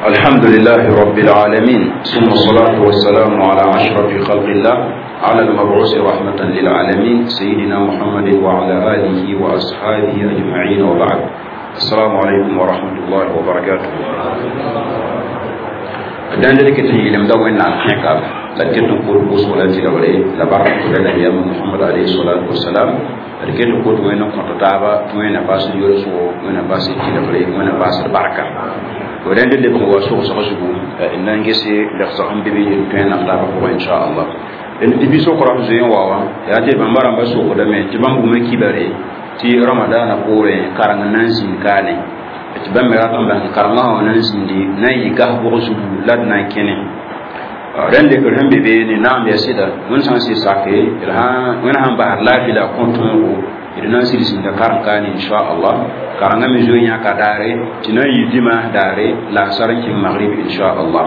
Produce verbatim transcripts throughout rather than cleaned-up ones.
الحمد لله رب العالمين، ثم الصلاة والسلام على أشرف خلق الله، على المبعوث رحمة للعالمين، سيدنا محمد وعلى آله وأصحابه أجمعين، وبعد. السلام عليكم ورحمة الله وبركاته. دان ذلك تنجي لم دو إن الحقيقة لكن نقول بوصولة تلولي لبركة النبي محمد عليه الصلاة والسلام. لكن نقول وين كنت تابا وين باس يرسو وين باس تلولي وين باس البركة. ودان دل بقوا سوق سقسقو إن نجسي لخصهم بيبي توين نقلا بقوا إن شاء الله. إن تبي سوق رمزين واوا يا تي بمبارم بسوق دمي تبان بومي كبري تي رمضان قوري كارن نانسين كاني تبان مراتم بان كارن نانسين دي ناي كه بقسو لاد ناي كني. رند كرهم بيبي نام يسيدا من سانسي ساكي إلها من هم بحر لا في لا كنتم d na n sɩd karem kaane inchallah karengã me zoe yãka daare tɩ na n yɩ dima daare la a sar n kẽng magrib inchallah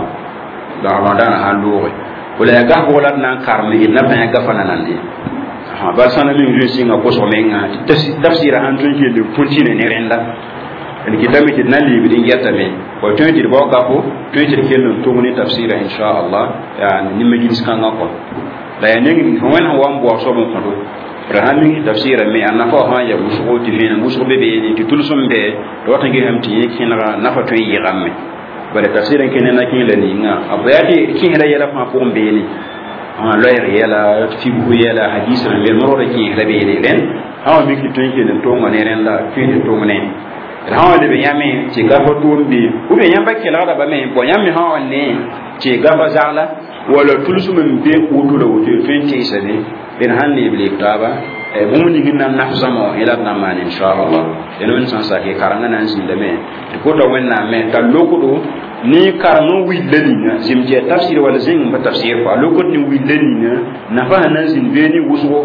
la ramadaana sãn looge wala yaa gasbg la d na n karem d na bãe gafa nanande bal sãn na meng zoe sɩnga kosg menga tɩ tafsɩɩrã sãn tõe n kell pʋntĩne ne rẽnda d kɩtame tɩ d na n leebd n yɛtame wa tõe tɩ d bao gafo tõe tɩ d kell n tʋg ne tafsɩɩrã inchallah yaa ne majlis kãngã kɔ la yaa neng fo wẽnd sẽn wa n bao soab n kõdo rahamin tafsira me an nafa ha ya wusgo ti vena wusgo be be ni ti tulsum be do wata ngi ham ti kinra nafa to yi gamme bare tafsira ken na kin la ni nga abayati kin la yela fa ko be ni ha loyer yela fibu yela hadis ran be moro ki la be ni ren ha mi ki to kin to ngone ren la fi to ngone ha le be yame ti ga fa to be u be yamba kela da ba me bo yame ha ne ti ga fa zala wala tulsum be wutu la wutu twenty seven ben han ne bile taba e bũmb ning n na n naf zãma wã yẽla d na n maan inchallah d wẽnd sã n sake karengã na n zĩndame tɩ kota wẽnnaam me t'a lokdo ne kareng n willa ninga zem tɩ yaa tafsɩr wala zẽng n pa tafsɩr fo a lokd ne willa ninga nafa sẽn na n zĩnd bee ne wʋsgo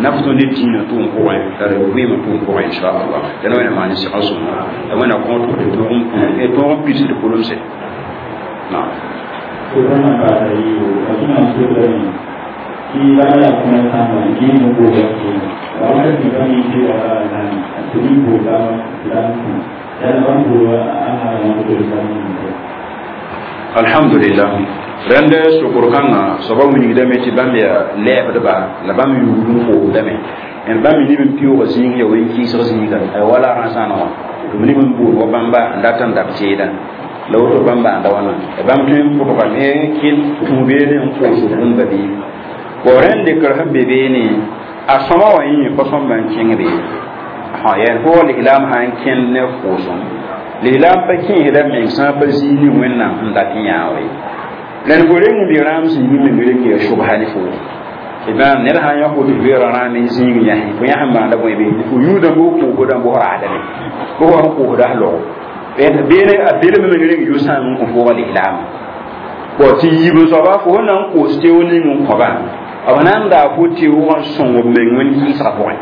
naf tõnd ne dĩinã tʋʋm pʋgẽ la d vɩɩmã tʋʋm pʋgẽ inchallah la wẽnna maan sɩgã sõma la wẽnna kõ tɩ tõog n pids d pʋlemse naam. Alhamdulillah rẽnd sokr kãngã soaba wilgdame tɩ bãmb yaa lɛɛbdba la bãmb yugd n foosdame d bãmb neb n pɩʋʋga zĩig ya wẽn-kɩɩsg zĩiga wala rãsãana wã tɩ b neb n bood wa bãmba n dat n dab teedã la woto bãmba n da wãna bãmb tõe n pʋdgame kɩl tũ beene n koos bũmba bɩ bo rẽnd dɩkr sẽn be beene a sõma wã yẽ pa sõmba n kẽng be yaa fo lislaam sã n kẽnd ne foosem lislaam pa kẽesda meng sã pa zĩig ne wẽnnaam sẽn dat n yãa we la fo reng n be rãam zĩig meng reng yaa sobsa ne fo bãmb ned sã n yã fo tɩ beoora rãam n zĩig yãsẽ fo yãsẽ maanda bõe be fo yũudã bʋ koosdã bʋ raadame bʋ wa sẽn koosda s logo beene a belem meng reng yʋ-sãam n kõ fooga lislaam bõ tɩ yiib n soaba fo sẽn na n koos teoog ning n kõba b na n daa fo teoog n sõng b meng wẽn-kɩɩsgã pʋgẽ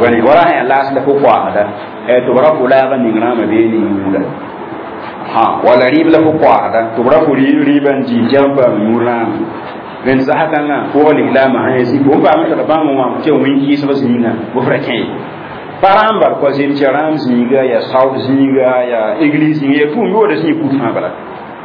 wani wala sẽn yaa laas la fo koaasda tɩ b ra fo laagã ning rãamã bee ne yũuda ha wala rɩɩb la fo koaasda tɩ b ra fo rɩɩbã n dii tɩ n paam yũur rãamã rẽnd sasa kãngã fooga lislaamã sã yaa zĩ fo n paam n tara bãmb wã tɩ wẽn-kɩɩsg zĩigã bʋ f ra kẽ ye pa rãam bal kɔa zem tɩ rãam zĩiga yaa saood zĩiga yaa église zĩiga yaa tʋʋm yooda zĩig kut fãa bala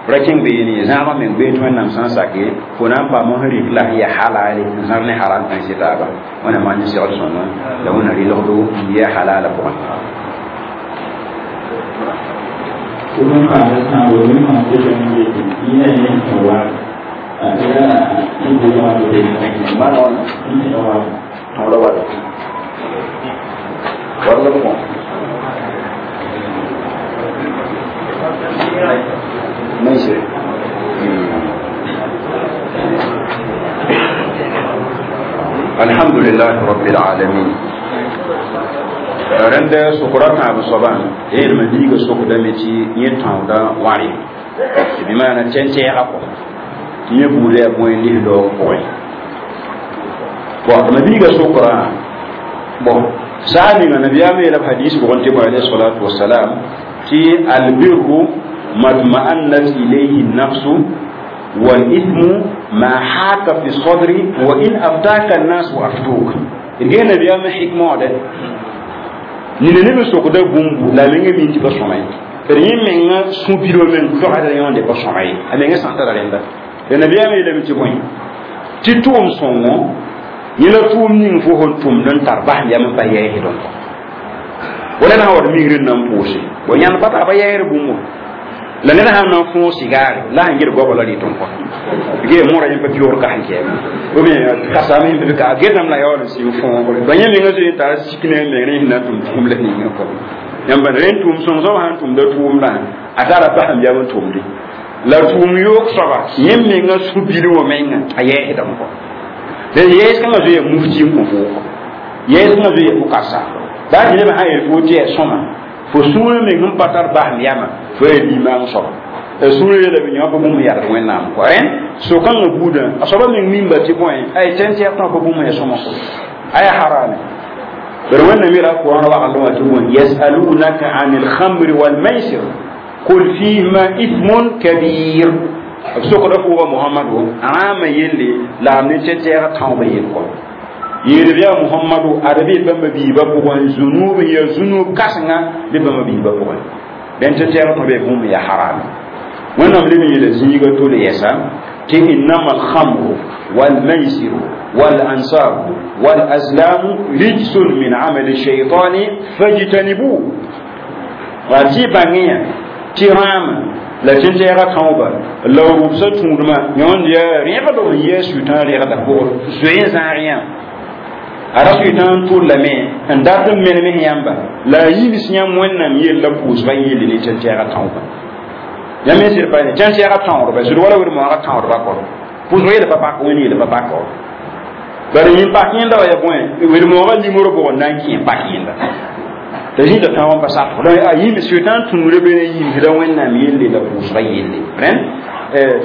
ra kẽng beene zãagã meng bee tɩ wẽnnaam sã n sake fo na n paam n rɩk la sẽn yaa halale n zãr ne haram tãn sɩ taaba wẽnna maan segd sõma la wẽnna rɩlgdo n yaa halala pʋgẽ. Neyse. Alhamdulillah Rabbil Alamin. Rẽnd sokra tãab soabã yeelma liiga sokdame tɩ yẽ tãooda wãre bɩ maana tẽn-tɛɛga kɔ tɩ yẽ buuda yaa bõe lis-daoog pʋgẽ bon tɩ mabiiga sokra bon saha ninga nabiyaam yeela b hadis bʋgẽ tɩ bõe alayhi salatu wasalam tɩ albirru matma'annat ilayhi nafsu والإثم ما حاك في الصدر وإن أفتاك الناس وأفتوك إرجع النبي أم حكمة ده nina ne be sokda bũmbu la a menga min tɩ pa sõma ye d yẽ menga sũ-bilo meng toagda yõonde pa sõma ye a menga sã n tara rẽnda la nabiyaamã yeelame tɩ bõe tɩ tʋʋm sõngo yẽ la tʋʋm ning fo sẽn tʋmd n tar basem yam n pa yɛɛsdẽ kɔ wala na sã wa d migr n na n pʋʋse bo yãnd pa tar pa yɛɛsd bũmbu la ned sãn na n fõog sigaare la sẽn get goabã la rɩt n kɔ ge mõra yẽ pa pioor kas n kɛɛme ou bien kasame sẽn be ka getame la yaool n sɩng fõogre ba yẽ menga zoe n tara sik ne meng rẽ sẽn na n tʋm tʋʋm la ninga kɔ yãmba rẽnd tʋʋm sõng soab sãn tʋmda tʋʋmdã a tara basem yam n tʋmde la tʋʋm yoog soaba yẽ menga sũ-bil wã menga a yɛɛsdame kɔ la yɛɛs kãngã zoe ya mufti n kõ foo kɔ yɛɛs kãngã zoe ya pʋkasa baa tɩ nebã sã yel fo tɩ yaa sõma fo sũurã meng n pa tar basem yama fo yaa limaang soaba sũurã yeela bɩ yõ pa bũmb yagd wẽnnaam kɔ rẽnd so-kãngã buudã a soaba meng mimba tɩ bõe ay tẽn-tɛɛg tõa pa bũmb ya sõma kɔ aya harame bari wẽnnaam yeela qur'an wagendẽ wã tɩ bõe yasalunaka an alkhamri walmaisir qul fihima ithmun kabir b sokda fo wa mohamado rãamã yelle la am ne tẽn-tɛɛgã tãoobã yel kɔ yeel bɩ yaa mohamado ad bɩ bãmba biibã pʋgẽ zunub n ya zunub kãsenga bɩ bãmba biibã pʋgẽ dẽn tẽn-tɛɛgã tõe bɩ bũmb ya harame wẽnnaam leb n yeela zĩiga tole yɛsa tɩ innama alhamru walmaisiru walansabu walazlamu rijsun min amali shaitani fajtanibu wa tɩ bãngẽ tɩ rãama la tẽn-tɛɛgã tãooba la rʋbsã tũudmã yõnd yaa rẽgd n yɛɛ sʋɩtã rẽgda pʋgr zoe n zãag yã a ra sʋɩtã n tʋllame n dat n menem yãmba la a yims yãmb wẽnnaam yella pʋʋsbã yelle ne tẽn-tɛɛgã tãooba yãmb yẽ sɩd pa ne tẽn-tɛɛgã tãoodba sɩd wala wed-moagã tãoodba kɔr pʋʋsg yel pa pak wẽnd yel pa pak bari yẽ pak yẽnda wa ya bõe wed-moagã limr bʋg n na n kẽ pak yẽnda t'a zĩnda tãoog n pa sak donc a yim sʋɩtã n tũuda be n yimsda wẽnnaam yelle la pʋʋsgã yelle rẽnd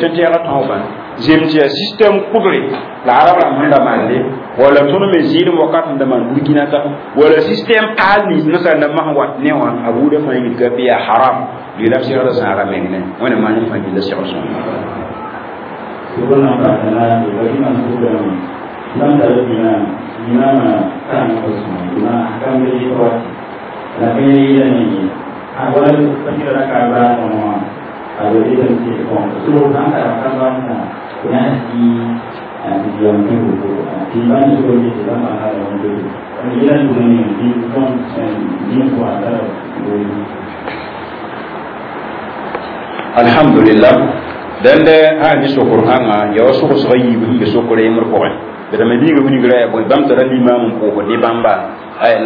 tẽn-tɛɛgã tãoobã zem tɩ yaa système kʋbre la arab rãmb sẽn da mande wala tõnd me zɩɩdem wakat n da maan burkina ta wala système paal nins nasaar nambã sẽn wat ne wã a buudã fãa yidga bɩ yaa haram lɩla b segda zãaga meng ne wẽna maan fãa gilla segl sõng Sokr nan paasa naase ba rĩmã sokdame bãmb tara limam limamã karengã pa sõma limam kambe yɩ wa la ka yeelame ye a wala pa raka baasẽ wã a be detame tɩ bõn sor sãn tara ka-bãmb tɩ na n sɩ tɩ yam tɩ woto tɩ bãmb sokr tɩ bãmb ãnga wẽnde yela tʋm tɩ tõnd zĩig pʋgã tara alhamdulillah dẽnd sã ne sokr kãngã ya wa sogsga yiib sẽn be sokr yembr pʋgẽ bd me biiga wilgra yaa bõe bãmb tara limaam n pʋʋsd ne bãmba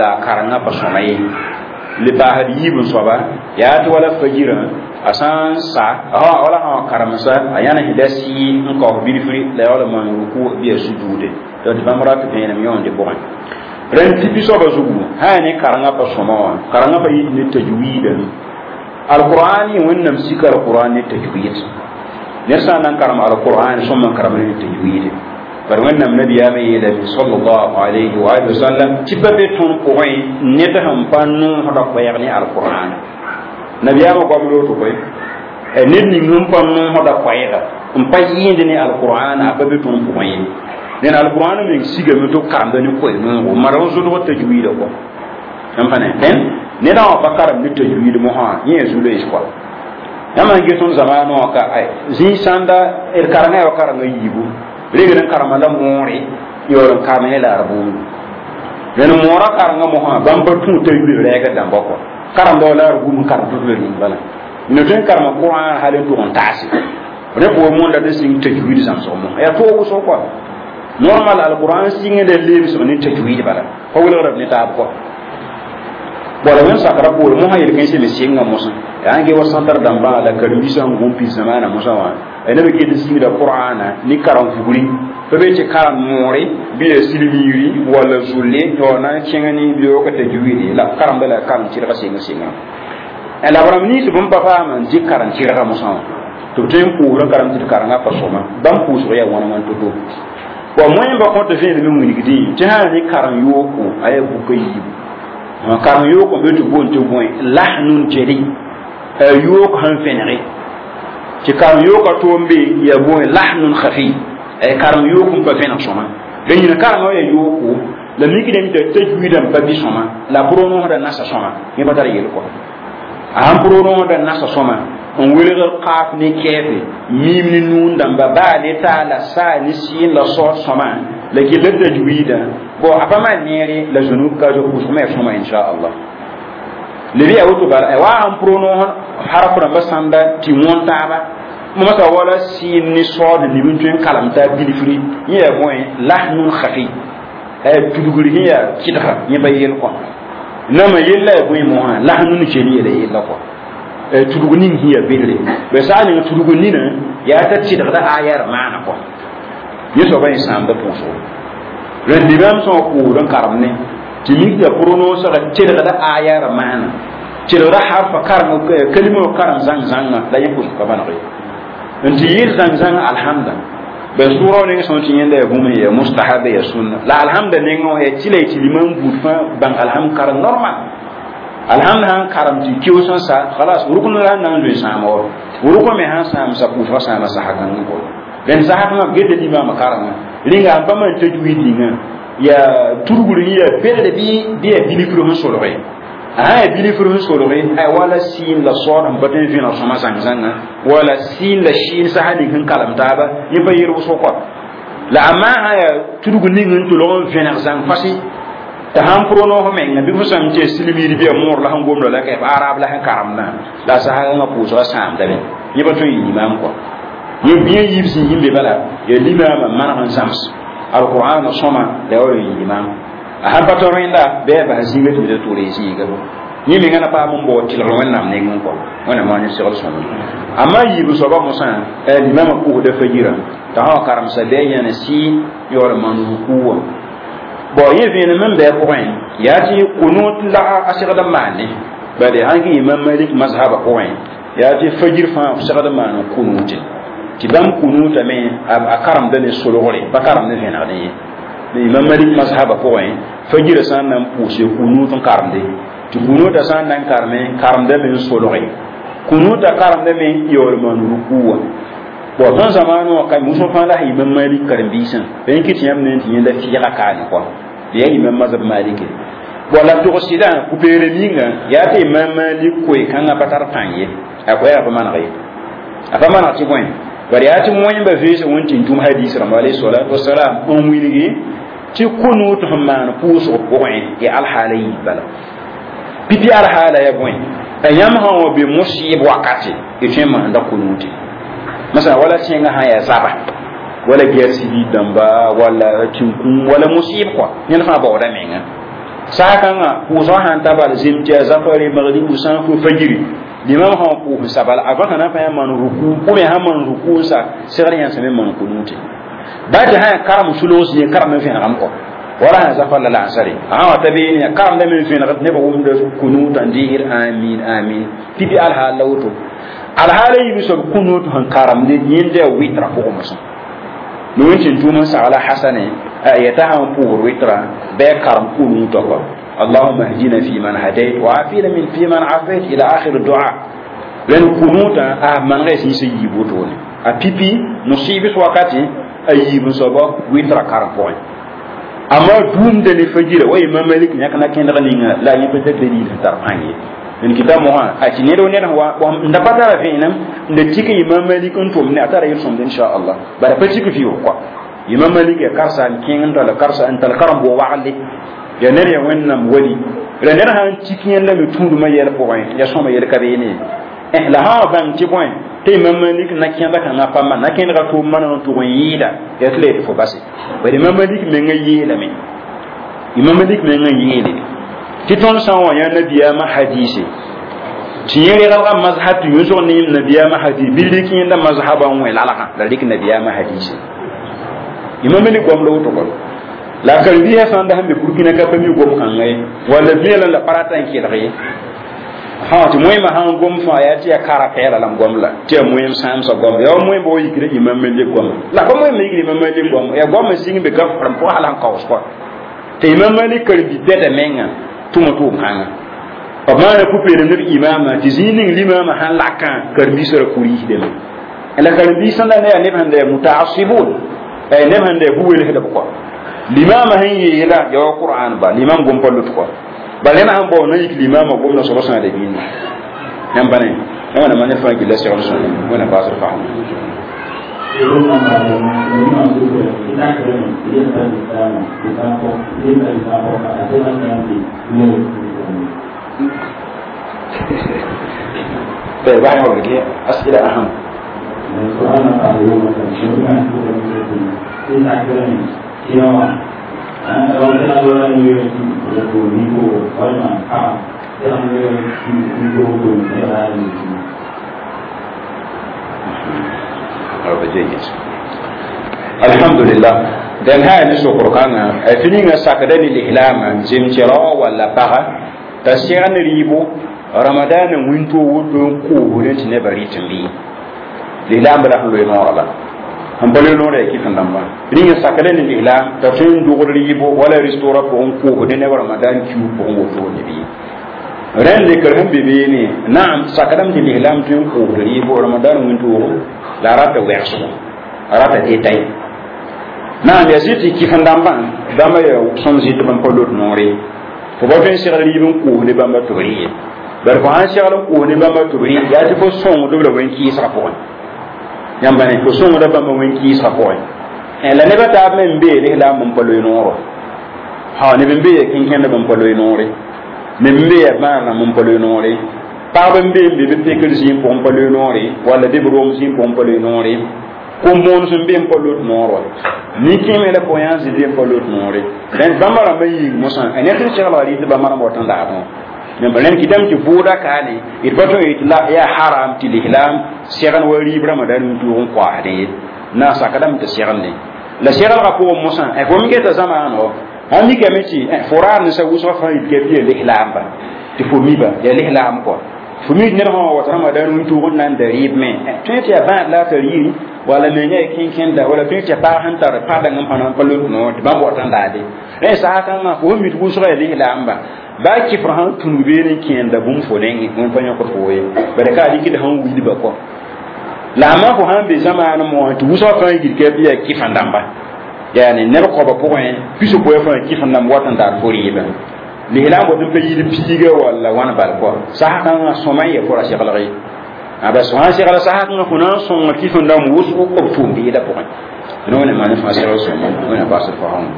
la karengã pa sõma ye le paasd yiib n soaba yaa tɩ wala fajirã a sã n sa wala sã wa karemsa a yãnesda sɩ n kaoos bilfri la yaool n maan ruku bɩ ya sujuude tɩ bãmb rat vẽenem yõonde pʋgẽ rẽnd pipi soaba zugu sã yaa ne karengã pa sõma wã karengã pa yit ne tajwiida alqur'an wẽnnaam sika alqur'an ne tajwid ned sã n na n karem alqur'an sõm n karem ne tajwid bari wẽnnaam nabiyaamã yeelame sallallahu alayhi wa alihi wasallam tɩ pa be tõnd pʋgẽ ned sẽn pa noosda koɛɛg ne alqur'an nabiyaamã goam loto koe ned ning sẽn pa noosda koɛɛga n pa yẽend ne alqur'an a pa be tõnd pʋgẽ ye ned alqur'an meng sigame tɩ b karemda ne koe noogo mara n zʋlg tajwiida kɔ n pa ne dẽn ned wã pa karem ne tajwiid mosã yẽ zu-loees kɔa yãmb sẽn get tõnd zamaanã wã ka zĩig sãnda d karengã yaa wa karengã yiibu regd n karema la moore yaool n karem ne la r buundu dẽn moorã karengã mosã bãmb pa tũ tajwiid rɛɛgd dãmba kɔ karemda wa la r gum n karem tʋ ning bala no tõe n karema qur'an hal n tʋg n taase rẽ pʋgẽ mõnda tɩ sɩng tajwiid zãmsg mosã yaa toog wʋsg kɔa normal alquran sɩngda lebsg ne tajwiid bala pa wilgda b ne taab kɔ Wala wẽn sakra poore mosã yel-kãensã me sɩnga mosã yaa n ge wa sãntr dãmbã la karen-biisã n gũm pis zamaana mosã wã neb ket n sĩngda qur'ana ne karen-fugri pa be tɩ karem moore bɩ ya silmiiri walla zulle wa na n kẽng ne beoog tajwidi la karemda la karem tɩrga sɩng sɩnga la b rãmb nins bũmb pa paam n dɩk karem tɩrga mosã wã tɩ b tõe n pʋʋsd n karem tɩ d karengã pa sõma bãmb pʋʋsg yaa wãn wãn to-to wa moẽmba kõt vẽenem n wilgdẽ tɩ sã ne karem yooko a yaa buka yiibu karem yooko n be tɩ boond tɩ bõe lahnun jeli yook sẽn vẽnege tɩ karem yooka toom be yaa bõe lahnun khafi karem yook n pa vẽneg sõma la yĩna karengã yaa yooko la mikdame t'a tajwiidã n pa bɩ sõma la pʋrg-noosdã nasa sõma yẽ pa tar yel kɔ a sãn pʋrg-noosdã nasa sõma n welgr qaaf ne kɛɛfe miim ne nuun dãmba baa ne taa la saa ne sɩɩn la saood sõma la gella tajwiidã bon a pa maan neere la zũnug ka zo pʋʋsg me ya sõma inchallah leb yaa woto bala wa sãn pʋrg-noos harf rãmbã sãnda tɩ wõn taaba masa wala sɩɩn ne saood nib n tõe n kalem t'a bilfri yẽ yaa bõe lahnun khafi tudgr sẽn yaa kɩdga yẽ pa yel kɔ nama yella yaa bõe mosã lahnun jeli yela yella kɔ tudg ning sẽn yaa bedre ba saa ning tudg nina yaa t'a tɩdgda aya d maana kɔ yẽ soaba yẽ sãamda pʋʋsgo rẽnd limam sã wã pʋʋsd n karem ne tɩ mik t'a pʋrg-noosga tɩdgda aya d maana tɩdgda harfa karem kalima wã karem zãng-zãnga la yẽ pʋʋsg ka maneg ye n tɩ yɩl zãng-zãng alhamda ba sʋra neng sã tɩ yẽnda yaa bũmb yaa mustahaba yaa sunna la alhamda nengã wã yaa tɩ la y tɩ limam buud fãa bãng alhamd karem normal alhamd sãn karem tɩ keoos n sa khalas rukn la sẽn na n zoe sãama wa rukn me sãn sãam sa pʋʋsga sãama sasa kãngẽ kɔ rẽnd sasa kãngã b geta limaamã karengã rĩnga sẽn pa maan tajwiid ninga yaa tudgr yẽ yaa bedre bɩ bɩ yaa bilifr sẽn solge a sã yaa bilifr sẽn solge ay wala sɩɩn la saood sẽn pa tõe n vẽneg sõma zãng-zãnga wala sɩɩn la sɩɩn sasa ning sẽn kalem taaba yẽ pa yel wʋsg kɔ la amma sã yaa tudg ning n tʋlg n vẽneg zãng fasɩ t'a sãn pʋrg noos menga bɩ fo sãm tɩ silmiir bɩ ya moor la sẽn gomda la ka arab la sẽn karemdã la a sasgã pʋʋsga sãamdame yẽ pa tõe n yɩ limaam kɔ yẽ yiib sẽn yĩn be bala yaa limaamã maneg n zãms alqur'an sõma la ya wa yɩ limaam a sãn pa tɔ rẽnda bɩ a bas zĩiga tɩ b tʋʋr y zĩiga yẽ menga na paam n bao tɩlgr wẽnnaam nengẽ kɔ wẽnnaam wã ne segl sõma amma yiib soaba mosã limaamã pʋʋsda fajirã t'a sã wa karemsa bɩ a yãne sɩ yaool n maan rukuu wã bon yẽ vẽenem n bɩ a pʋgẽ yaa tɩ kunut la a segd n maane bale sãn kɩ imam malik mazhaba pʋgẽ yaa tɩ fajir fãa f segd n maan kunute tɩ bãmb kunutame a karemda ne solgre pa karemd vẽnegdẽ ye imam malik mazhaba pʋgẽ fajirã sã n na n pʋʋse kunut n karemde tɩ kunuta sã n na n kareme karemdame n solge kunuta karemdame yaool maan rukuu wã bon tõnd zamaanẽ wã ka musẽ fãa la imam malik karen-biisã pa yẽ kɩ tɩ yãmb ne tɩ yẽnda fɩɩga kaane kɔ yaa imam mazhab malike bon la togsɩdã ku-peerem yĩnga yaa tɩ imam malik koe-kãngã pa tar pãng ye a koɛɛgã pa maneg ye a pa maneg tɩ bõe bari yaa tɩ moẽmba veesã wẽn tɩ n tũm hadis rãmba alayhi salatu wasalam n wilgi tɩ kunut sẽn maan pʋʋsg pʋgẽ ya alhaala yiib bala pipi alhaala ya bõe a yãmb sã wã be musɩɩb wakate y tõe n maanda kunute masala wala tẽngã sã yaa zaba wala guerre civile dãmba wala tĩnkũm wala musɩɩb kɔa ned fãa baooda menga saakãngã pʋʋsgã sãn ta bal zem tɩ yaa zafare magribu sã n fo fajiri limam sã n pʋʋs sabala a võsã na n pa yã maan ruku ou bien sã maan ruku n sa segd yãnsame maan kunute ba tɩ sã yaa karem sulg zĩig karem n vẽnegame kɔ wala sã zafar la lansare a sã wa ta beene yaa karemdame n vẽnegd nebã wʋmda kunutã n deegd amin amin pipi alhaal la woto alhaala yiib soab kunut sẽn karemde yẽnda yaa wɩtra pʋgẽ mosã ne wẽn tɩ n tʋʋm n sagla hasane yeta sãn pʋʋsd wɩtra bɩ a karem kunutã kɔ اللهم اهدنا فيمن هديت وعافنا من فيمن عافيت الى اخر الدعاء لان كنوتا ا من غير سي يبوتون ا بيبي مصيبه وقتي ايب صبا ويترا كارم بوين اما دوم دني فجيره وي ما مالك نيك نا كين غنينا لا ني بتا دليل تار باني من كتاب مو ا تي نيرو نير هو nda patara vẽenem n da tik imam malik n tʋm ne a tara yel-sõmd inchallah bara pa tik fiʋʋg kɔa imam malik ya karsa n kẽng n tala karsa n tal karem bʋ wagle ya ned ya wẽnnaam wali la ned sã n tik yẽnda me tũudmã yɛl pʋgẽ ya sõma yel ka beene la sã wa bãng tɩ bõe tɩ imam malik na kẽeda kãngã pa man na kẽedga tʋʋm maneg n tʋg n yɩɩda ya tɩ la yetɩ fo base bari imam malik mengã yeelame imam malik mengã yeele Tɩ tõnd sã n wa yã nabiyaamã hadise tɩ yẽ regelga mazhab tɩ yũsg ne nabiyaamã hadis bɩ rɩk yẽnda mazhaba n wẽ lalgã la rɩk nabiyaamã hadise imam Malik goam la woto kɔ la karen-biisã sã n da sẽn be Burkina ka pa mi gom kãnga ye walla vẽelem la pa rata n kelg ye ha tɩ moẽmã sãn gom fãa yaa tɩ yaa kara pɛɛla la m gom la tɩ yaa moẽm sãamsã gom yaa wa moẽm wa yikra imam Malik goama la pa moẽm yikra imam Malik goam yaa goamã sɩng be ka rãmb pʋgã hal sẽn kaoos kɔ tɩ imam Malik karen-bi pɛda menga tʋma tʋʋm kãnga b maana pʋ-peelem ne b imaamã tɩ zĩig ning limaamã sãn lakã karen-biisã ra kuriisdame la karen-biisã la ne yaa neb sẽn da yaa mutaasibun neb sẽn da yaa bu-welsdb kɔ limaamã sẽn yeela yaa wa qur'an ba limam gom pa lut kɔ bala ned sãn bao na yik limaamã gomda soaba sãada bĩnda yãmb pa ne wẽnnaam ne fãa gilla segl sõma wẽnnaam baasd fasem. طيب بعد ما بقي أسئلة أهم. الحمد لله دان هاي نسو قرآن فينينا ساكدني الإعلام زمترا ولا بغا تسيرن ريبو رمضان وينتو ودو كو ودنت نبري تنبي الإعلام بلا لوي نورلا هم بلو نورا كيف نamba ringa sakadani l'islam ta fin dugr ribo wala restaurant pour ko ودن رمضان kiu pour woto ne bi ren le kar hum bebe ne naam sakadam di l'islam tin ko ribo ramadan winto la rata werso rata tetay naam ya ziti kifan damba damba ya som ziti ban polot nore fo ba fin segl rib n koos ne bãmba tɩ b rɩ ye bari fo sãn segl n koos ne bãmba tɩ b rɩ yaa tɩ fo sõngdb la wẽn-kɩɩsgã pʋgẽ yãmba ne fo sõngda bãmba wẽn-kɩɩsgã pʋgẽ la nebã taab me n bee lislaam n pa loe noorã ha neb n bee ya kẽnkẽndb n pa loe noore neb n bee ya bãadrãmb n pa loe noore pagb n bee n be bɩ pekr zĩig pʋgẽ n pa loe noore walla bɩ b rom zĩig pʋgẽ n pa loe noore kom-moons n be n pa lot noor wa nin-kẽeme la pʋgẽ yaa zĩ be n pa lot noore rẽnd bãmba rãmbã yĩng mosã a ned sẽn seglga rɩ tɩ bãmba rãmb wat n laabẽ rẽnd kɩtame tɩ vʋʋda kaane d pa tõe tɩ la yaa haram tɩ lislaam segn wa rɩɩb ramadan wĩntoog n koaasdẽ ye na n sakdame tɩ seglne la seglgã pʋgẽ mosã fo me geta zamaano sãn mikame tɩ fo raar ninsa wʋsgã fãa yit ka bɩ ya lislaamba tɩ fo miba yaa lislaam kɔ fo mi ned sã wa wat ramadan wĩntoog n na n da rɩɩb me tõe tɩ yaa bãad la a tar yiri wala me yã kẽnkẽnda wala tõe tɩ paag sẽn tar padang n pa na n pa lot noor tɩ bãmb wat n daade rẽ sasa kãngã fo sẽn mi tɩ wʋsga yaa lislaamba baa kɩfr sãn tũnug beene n kẽenda bũmb fo nengẽ wẽnd pa yõkd fo ye bara ka a rɩkd sẽn wilba kɔ la a fo sãn be zamaan moã tɩ wʋsgã fãa yil ka bɩ yaa kɩf-n dãmba yaani neb koaba pʋgẽ piso-poɛ fãa kɩf-n dãmb wat n daar fo rɩɩbã lislaam wat n pa yil piiga walla wãn bal kɔ sasa kãngã sõma n yaa fo ra seglg ye aba sã n segl sasa kãngã fo na n sõnga kɩf n dãmb wʋsgo b tʋʋm beeda pʋgẽ tɩ wẽnnaam maan fãa segl sõma wẽnnaam baasd faoong.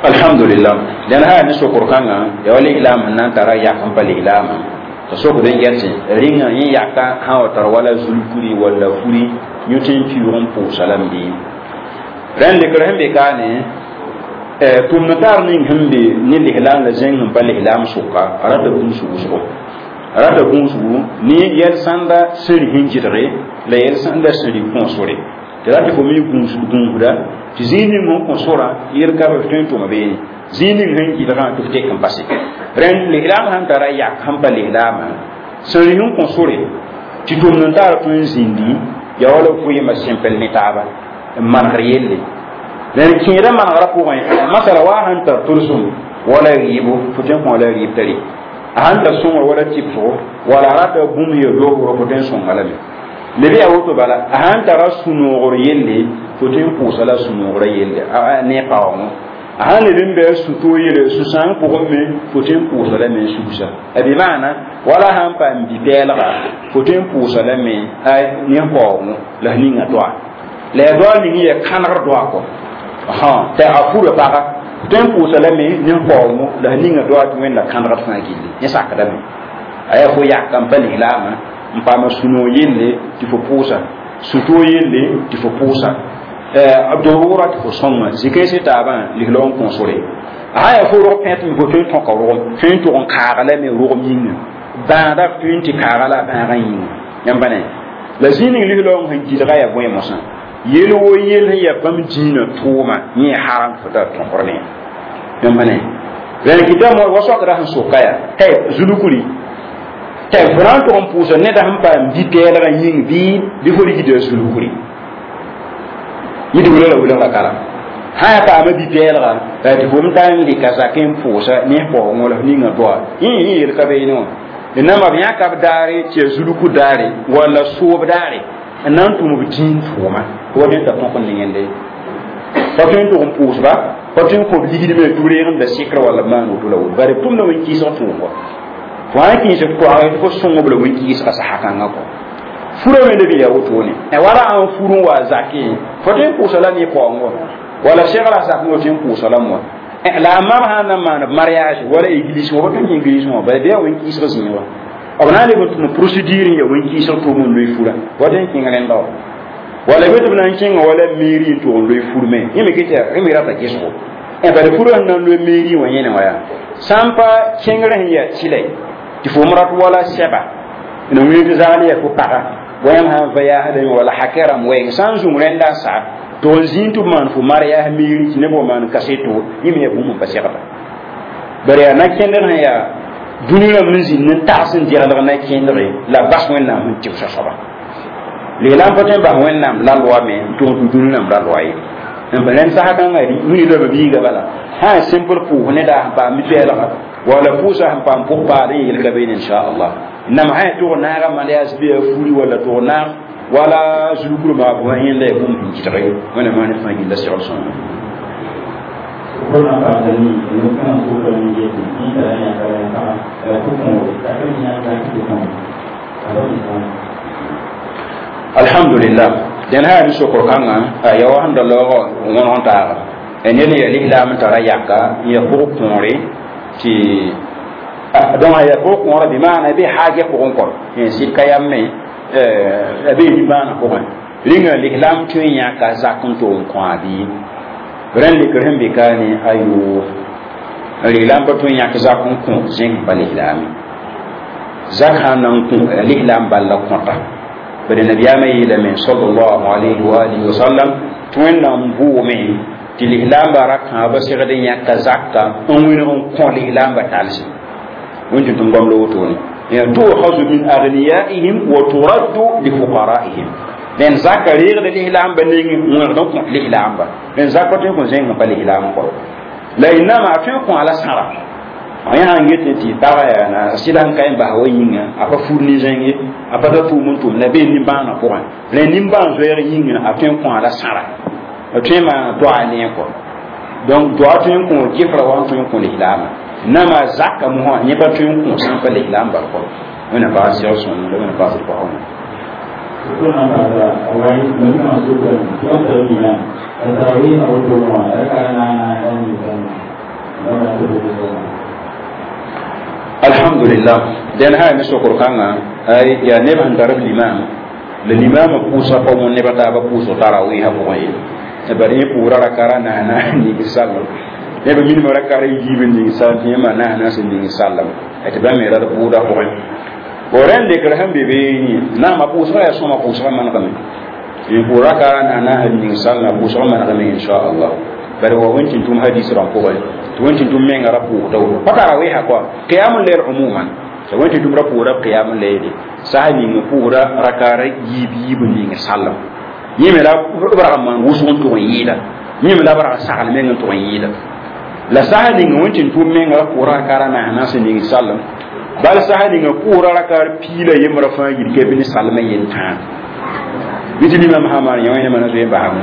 Alhamdulillah dẽn yaa ne sokr kãngã yaa wa lislaam sẽn na n tara yak n pa lislaamã t'a sokd n yɛtɩ rĩngã yẽ yaka sã wa tar wala zulkuri walla furi yõ tɩ n piʋʋg n pʋʋsa lame bɩ rẽnd lekr sẽn be kaane tʋmd taar ning sẽn be ne lislaam la zẽng sẽn pa lislaam sʋka a rata gũus wʋsgo a rata gũusgu ne yɛl sãnda sẽri sẽn gɩdge la yɛl sãnda sẽri kõosore tɩ rat fo me gũusda tɩ zĩig ning sẽn kõ sorã yel ka b tõe n tʋma beene zĩig ning sẽn gɩdgã tɩ f tek n pase rẽnd lislaam sãn tara yak sẽn pa lislaamã sẽri sẽn kõ sore tɩ tʋmd n taar tõe n zĩndi yaa wala vɩɩmã sẽmpel ne taaba n manegr yelle rẽnd kẽedã manegrã pʋgẽ masala wa sãn tar tʋlsem wala rɩɩbo fo tõe n kõ la rɩɩb t'a rɩ a sãn tar sõngr wala tɩbsgo wala a rata bũmb ya doogr fo tõe n sõnga lame leb yaa woto bala a sãn tara sũ-noogr yelle fo tõe n pʋʋsa la sũ-noogrã yelle ne paoongõ a sãn leb n bɩ a sũ-toog yelle sũ-sãang pʋgẽ me fo tõe n pʋʋsa lame n sugsa bɩ maana wala sãn paam bi-pɛɛlga fo tõe n pʋʋsa lame ne paoongõ la f ninga doa la yaa doa ning yaa kãnegr doa kɔ t'a a fura paga tõe n pʋʋsa lame ne paoongõ la f ninga doa tɩ wẽnda kãnegd fãa gilli yẽ sakdame a yaa fo yaka n pa lislaamã n paama sũ-noog yelle tɩ fo pʋʋsa sũ-toog yelle tɩ fo pʋʋsa dorʋʋra tɩ fo sõnga zĩ-kãensã taabã lislaoog n kõsore a sã yaa fo rog pẽt me fo tõe n tõka rogem tõe n tʋg n kaaga lame rogem yĩnga bãada f tõe n tɩ kaaga la a bãagã yĩnga yãmb pa ne la zĩig ning lislaoog sẽn gilga yaa bõe mosã yel wo yel sẽn yaa bãmb dĩinã tʋʋma yẽ haram fo tara tõkr ne yãmb pa ne rẽnd kɩta wa soakda sẽn soka yaa tɩ zulukri tɩ fo na n tʋg n pʋʋsa neda sẽn paam bi-pɛɛlgã yĩng bɩ bɩ fo rigda zulukri yẽ tɩ wilg la wilg la kara sã yaa paama bi-pɛɛlga tɩ fo m ta n rɩka zakẽ n pʋʋsa ne paoongõ la f ninga doa yẽ yẽ yel ka beene wã nama b yãka b daare tɩ yaa zuluku daare walla soob daare n na n tʋm b dĩin tʋʋma wa tõe n ta tõk n nengende pa tõe n tʋg n pʋʋsba pa tõe n kõ b ligd me tɩ b reeg n da sɩkr walla b maan woto la woto bare b tʋmda wẽn-kɩɩsg tʋʋm wa fo sã n kẽes b koagẽ tɩ fo sõng b la wẽn-kɩɩsga sasa kãngã kɔ furã wẽnda be yaa wotone wala ãn fur n wa zakẽ fo tõe n pʋʋsa la ne paoongõ wala segra zakẽ wa tõe n pʋʋsa lame wã la a mam sã n na n maan b mariage wala église wã pa tõe n kẽ église wã bala bɩ yaa wẽn-kɩɩsg zĩig wã b na n leb n tʋm procédure n yaa wẽn-kɩɩsg tʋʋm n loe furã wa tõe n kẽng rẽnda wã wala be tɩ b na n kẽnga wala mairie n tʋg n loe fur me yẽ me ket yẽ me rata gesgo bala furã sẽn na n loe mairie wã yẽne wã yaa sã n pa kẽngrã sẽn yaa tɩlɛ tɩ fo m rat wala sɛba n wẽeg tɩ zagl yaa fo paga wa yãmb sã n va yaasdame wala hakɛ rãmb wɛɛng sã n zũng rẽnda n sa tɩ n zĩig tɩ b maan fo mariage mairie tɩ neb wa maan kaseto yẽ me yaa bũmb n pa segda bari yaa na-kẽndg sẽn yaa dũni rãmb n zĩnd n tags n deglg na-kẽndge la bas wẽnnaam sẽn tɩbsa soaba lislaam pa tõe n bas wẽnnaam la loa me n tʋg tɩ dũni rãmb ra loa ye n pa rẽnd sasa kãngã wĩni la ba biiga bala sã n simple pʋʋs neda sẽn paam mi-pɛɛlga wala pʋʋsa sẽn paam pʋg paad n yel ka beene inchallah nam sã ya tʋg naaga mariage bɩ yaa furi wala tʋg naag wala zulukr maa bʋ yẽnda yaa bũmb sẽn kɩtge wẽnnaam maan fãa gilla segl sõnga Kuna paɣasani ni kana so ka ni je ti ni tara ya ka ya ka ku ko ka ka ni ya ka ku ko ka ba ni sa alhamdulillah den ha ni sokor kãngã ya wa sẽn da laoogã wõneg n taaga ned ya lislaam n tara yaka n ya pʋg kõore tɩ donc a ya pʋg kõora bɩ maana bɩ haagɛ pʋgẽ kɔ sɩd ka yam me a bee nimbãanã pʋgẽ rĩnga lislaam tõe n yãka zak n tog n kõ a bɩ rẽnd lekr sẽn be kaane ayo lislaam pa tõe n yãk zak n kõ zẽng pa lislaame zak sã n na n kõ lislaam bal la kõta bari nabiyaamã yeelame sallallahu alayhi wa alihi wa sallam tɩ wẽnnaam bʋʋme tɩ lislaambã ra kãabã segd n yãka zaka n wẽneg n kõ lislaambã talse wẽn tɩ tʋm goam la wotone تؤخذ من أغنيائهم وترد لفقرائهم لأن زكا ريغ لإسلام بنين وين دونك الإسلام با لأن زكا تكون زين با الإسلام كو لا إنما تكون على سارة yã sãn get tɩ paga yaa na sɩda n ka n bas wa yĩnga a pa fur nin-zẽng ye a pa ta tʋʋm n tʋm la bee nimbãanã pʋgẽ la nimbãan zoɛɛg yĩnga a tõe n kõ la sãra a tõe n maana doa ne kɔ donc doa tõe n kõ gefra wa n tõe n kõ lislaamã nama zaka mosã yẽ pa tõe n kõ sã n pa lislaam bal kɔ wẽnnaam baas sɛg sõng la wẽnnaam baas d pʋgã Kuna paɣasa wai ni kana so ka ni ti tara ni ya tarawih na woto ma raka na na ni sa na na to ko alhamdulillah den ha mi sokor kãngã ay yaa neb sẽn tar b limam la limamã pʋʋsa pa wõn nebã taabã pʋʋsg tarawiisã pʋgẽ ye bari yẽ pʋʋra rakara naana ning sallam neb minimã rakara yiib n ning sallam tɩ yẽ maa naana sẽn ning sallam tɩ bãmb me rat bʋʋda pʋgẽ bo rẽnd lekr sẽn be beene naamã pʋʋsgã yaa sõma pʋʋsgã manegame n pʋʋr rakara naana sẽn ning sallam pʋʋsgã manegame inchallah bari wa wẽn tɩ tʋm hadis rãmb pʋgẽ tɩ wẽn tɩ tʋm menga ra pʋʋsda woto pa tarawiisã kɔa qiyamul layl umuman tɩ wẽn tɩ tʋm ra pʋʋra qiyamul layl sas ning pʋʋra rakara yiib yiib n ning sallam yẽ me la b rag n maan wʋsg n tʋg n yɩɩda yẽ me la b rag n sagl meng n tʋg n yɩɩda la sas ning wẽn tɩ tʋm menga ra pʋʋra rakara naasã sẽn ning sallam bal sas ninga pʋʋra rakar piila yembra fãa yid ka bɩ ne salmã yel tãa bɩ tɩ limam sã maan yã wẽnemã na zoe n basame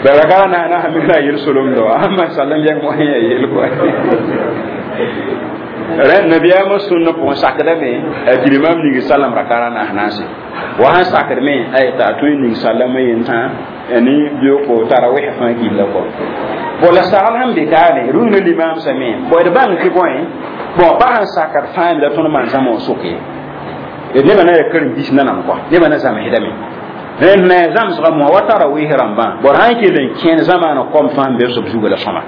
rakara naana sã me la yel solem do amma sallam yɛng mosã yaa yel kɔ rẽnd nabiyaamã sũnna pʋgẽ sakdame tɩ limam ning sallam rakara naas naase wa sãn sakd me ay t'a tõe n ning sallamã yentã ne bioko tarawih fãa gilla kɔ bo la sagl sẽn be kaane rũnã limam same bo d bãng tɩ bõe Bon pa sẽn sakd fãa la tõnd maan zãma wã soke nebã na ya karen-biis nanam kɔa nebã na zãmsdame rẽnd na ya zãmsgã moa wa tara wɩɩs rãmbã bor sã n kell n kẽen zamaana kom fãa n be sob zuga la sõma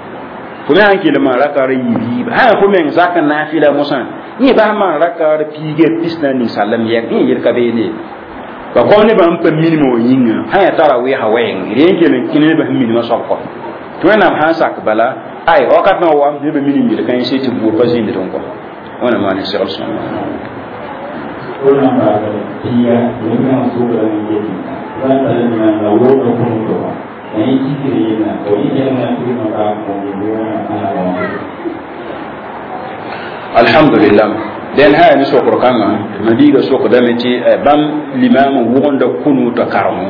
fo me sãn kell n maan rakaar yiib yiib sã fo meng zak n naafɩla mosã yẽ bas maan rakaar piiga pis na ninsaalem yɛk yẽ yel ka beene ba kom nebã n pa minimã wã yĩnga sã ya tara wɩɩsã wɛɛng rẽ n kell n kẽ nebã sẽn minimã soab kɔ tɩ wẽnnaam sãn sak bala ay wakat wã wam nebã minim yel-kãensẽ tɩ buud pa zĩnd n kɔ wẽnnaam maan n segl sõma Ona ba pia yẽmna sʋgra n yetɩ la tara limam la wʋʋda kũnutɔ wã la yẽ kisgr yella tɩ yẽ yẽlengã tɩgmã baa kõ alhamdulillah den ha ni sokr kãngã ma biiga sokdame tɩ bãmb limam n wʋgenda kũnuutã karemo